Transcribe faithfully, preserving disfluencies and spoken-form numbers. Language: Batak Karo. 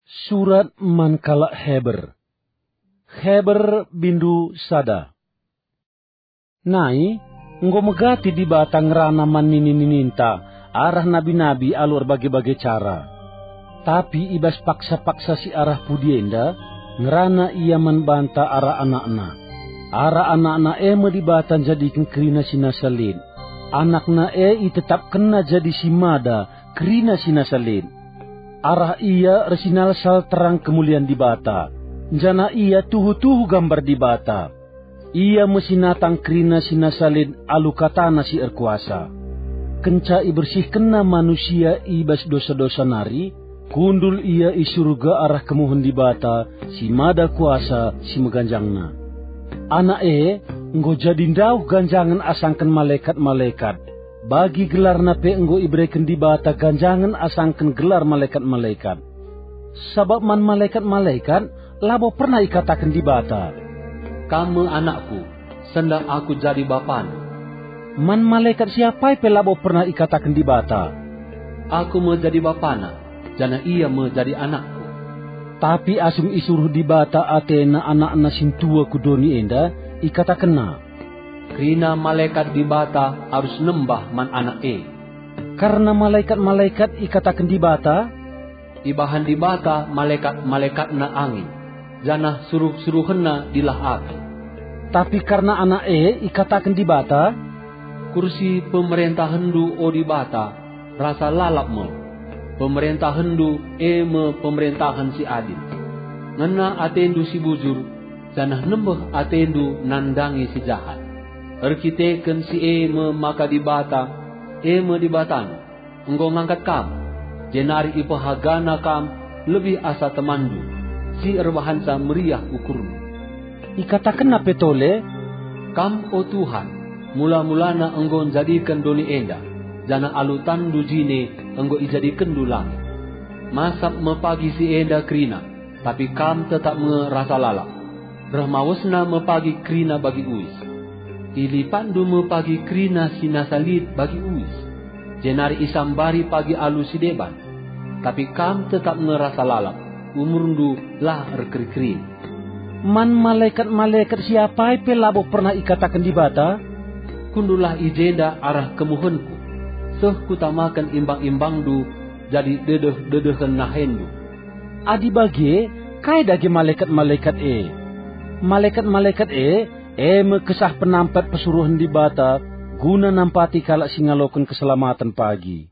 Surat man kalak Heber. Heber bindu sada. Nai, enggo megati Dibata ngerana man nini-nininta arah nabi-nabi alu erbage-bage cara. Tapi i bas paksa-paksa si arah pudi enda, ngerana Ia man banta arah AnakNa. Arah AnakNa e me Dibata njadiken kerina si nasa lit. AnakNa e itetapkenNa jadi si mada kerina si nasa lit. Arah Ia ersinalsal terang kemulian Dibata, janah Ia tuhu-tuhu gambar Dibata. Ia me si natang kerina si nasa lit alu kataNa si erkuasa. Kenca ibersihkenNa manusia i bas dosa-dosa nari, kundul Ia i Surga arah kemuhen Dibata si mada kuasa si meganjangna. Anak e enggo jadi ndauh ganjangen asangken malekat-malekat, bagi gelarna pe enggo ibereken Dibata ganjangen asangken gelar malekat-malekat. Sabap man malekat-malekat labo pernah ikataken Dibata, "Kam me anakku, sendah Aku jadi bapana." Man malekat si apai pe labo pernah ikataken Dibata, "Aku me jadi bapana, janah ia me jadi anakku." Tapi asum isuruh Dibata atena AnakNa sintua ku doni enda, ikatakenNa, "Kerina malekat Dibata arus nembah man Anak e." Kerna malekat-malekat ikataken Dibata, "Ibahan Dibata malekat-malekatNa angin, janah suruh-suruhenNa dilah api." Tapi kerna Anak e ikataken Dibata, "Kursi pemerentahenndu, o Dibata, rasa lalap me. PemerentahenNdu e me pemerentahen si adil. Ngena ateNdu si bujur, janah nembeh ateNdu nandangi si jahat. Erkiteken si e me maka Dibata, e me Dibatandu, enggo ngangkat kam, jenari ipehagaNa kam lebih asa temanndu, si erbahanca meriah ukurndu." IkatakenNa pe tole, "Kam, o Tuhan, mula-mulana enggo njadiken doni enda, janah alu tanNdu jine enggo ijadikenndu langit. Masap me pagi si enda kerina, tapi Kam tetap nge rasa lalap. Reh mawesna me pagi kerina bagi uis. IlipatNdu me pagi kerina si nasa lit bagi uis, jenari isambari pagi alu si deban. Tapi Kam tetap nge rasa lalap, umurNdu la erkeri-kerin." Man malekat-malekat si apai pe labo pernah ikataken Dibata, "Kundullah i jenda arah kemuhenKu, seh Kutamaken imbang-imbangNdu jadi dedeh-dedehen nahenNdu." Adi bage, kai dage malekat-malekat e? Malekat-malekat e, e me kesah penampet persuruhen Dibata guna nampati kalak si ngaloken keselamaten pagi.